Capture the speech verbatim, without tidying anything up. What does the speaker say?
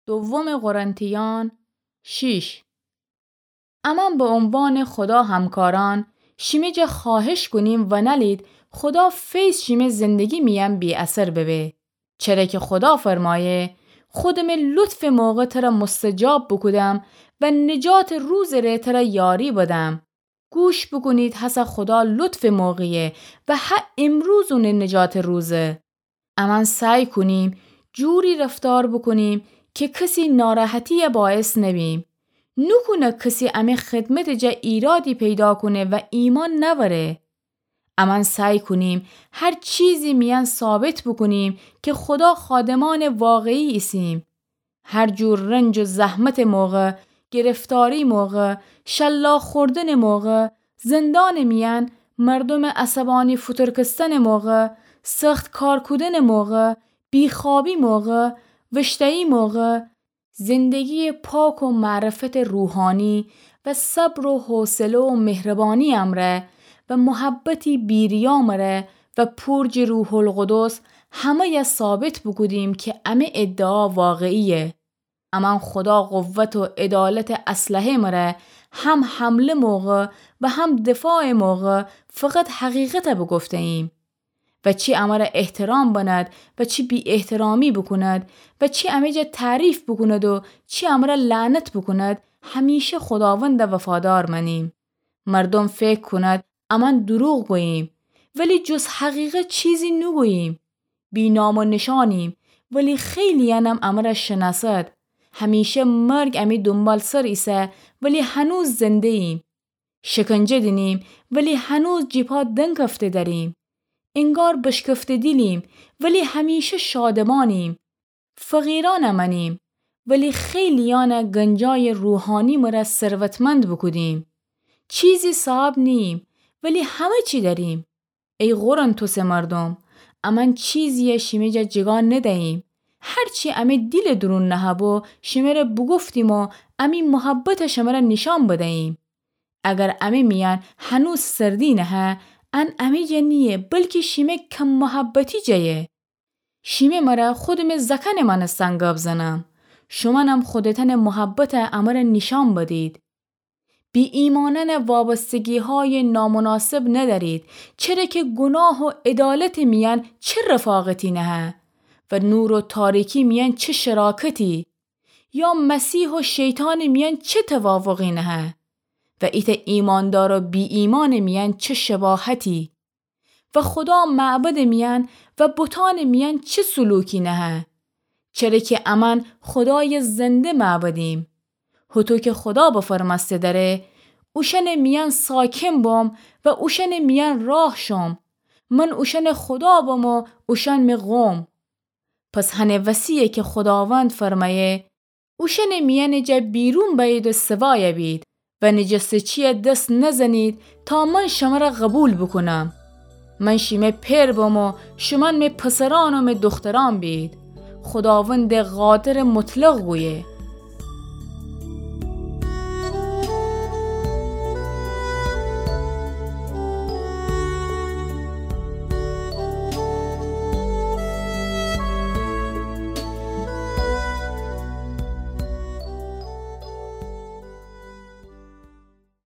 دوم قرنتیان شیش. امأن به عنوان خودا همکارأن شیمه جا خوأهش کونیم ونلید خودا فیض شیمه زندگی میأن بی‌اثر ببه. چره که خودا فرمأیه، خودمه لطفٚ موقع تره مستجاب بوکودم و نجاتٚ روزٚ ره تره یاری بدم. گوش بوکونید هسه خودا لطفٚ موقعیه و هه امروز اونٚ نجاتٚ روزه. امأن سعی کونیم جوری رفتار بوکونیم که کسی ناراحتی‌یه باعث نبیم. نوکونه کسی امه خدمتٚ جا ایرادی پیدا کونه و ایمأن نأوره. امأن سعی کونیم هر چیزی میأن ثابت بوکونیم که خودا خادمأنٚ واقعی ایسیم. هر جور رنج و زحمتٚ موقع، گرفتاری موقع، شلاق خوردنٚ موقع، زندانٚ میأن، مردومٚ عصبانی فوتورکستنٚ موقع، سخت کار کودنٚ موقع، بیخوابی موقع، وشتایی موقع، زندگی‌یٚ پاک و معرفتٚ روحانی و صبر و حوصله و مهربانی امرأ و محبتی بی‌ریا مره و پور جٚه روح‌القدس همه‌یه ثابت بوکودیم که امه ادعا واقعیه. امأن خودا قوت و عدالتٚ اسلحه مره هم حمله موقع و هم دفاعٚ موقع فقط حقیقته بوگفته‌ییم. و چی امره احترام بنأد و چی بی‌احترامی بوکوند و چی امه جا تعریف بوکوند و چی امره لعنت بوکوند، همیشه خوداونده وفادار مأنیم. مردوم فکر کونید امأن دروغ گوییم، ولی جز حقیقت چیزی نوگوییم. بی‌نام و نشانیم، ولی خیلی‌یأنم امره شنأسد. همیشه مرگ امی دونبالسر ایسه، ولی هنوز زنده‌ییم. شکنجه دینیم، ولی هنوز جیپا دنکفته دریم. انگار بشکفته دیلیم، ولی همیشه شادمانیم. فقیرأن امأنیم، ولی خیلی‌یأن گنجایٚ روحانی مره ثروتمند بوکودیم. چیزی صاحب نییم، ولی همه چی دأریم. ای قرنتسٚ مردوم، امأن چیزیی شیمه جا جگا ندییم. هر چی امی دیلٚ دورون نهه‌بو شمره بوگفتیم و امی محبت شمره نیشأن بدییم. اگر امی میأن هنوز سردی نهه، ان امی جا نییه، بلکی شیمه کم محبتی جایه. شیمه مره خودمٚ زأکأنٚ مأنستن گب زنم. شومأنم خودتأنٚ محبت امره نیشأن بدید. بی‌ایمأنأن وابستگی‌هایٚ نامناسب ندأرید، چره که گوناه و عدالتٚ میأن چه رفاقتی نهه و نور و تاریکی میأن چه شراکتی، یا مسیح و شیطانٚ میأن چه توافقی نهه و ایتأ ایمأندار و بی‌ایمأنٚ میأن چه شباهتی. و خودا معبدٚ میأن و بتأنٚ میأن چه سلوکی نهه. چره که امأن خودایٚ زنده معبدیم. هوطو که خودا بفرمأسته دأره، اوشأنٚ میأن ساکن بم و اوشأنٚ میأن راه شم. من اوشأنٚ خودا بم و اوشأن مٚ قوم. پس هنٚ وسی‌یه که خوداوند فرمأیه، اوشأنٚ میأنٚ جا بیرون بأیید و سوایه بید و نجسته‌چییه دس نزنید تا من شمره قوبیل بوکونم. من شیمه پئر بم و شومأن مه پسرأن و مه دوخترأن بید. خوداوندٚ قادرٚ مطلق گویه.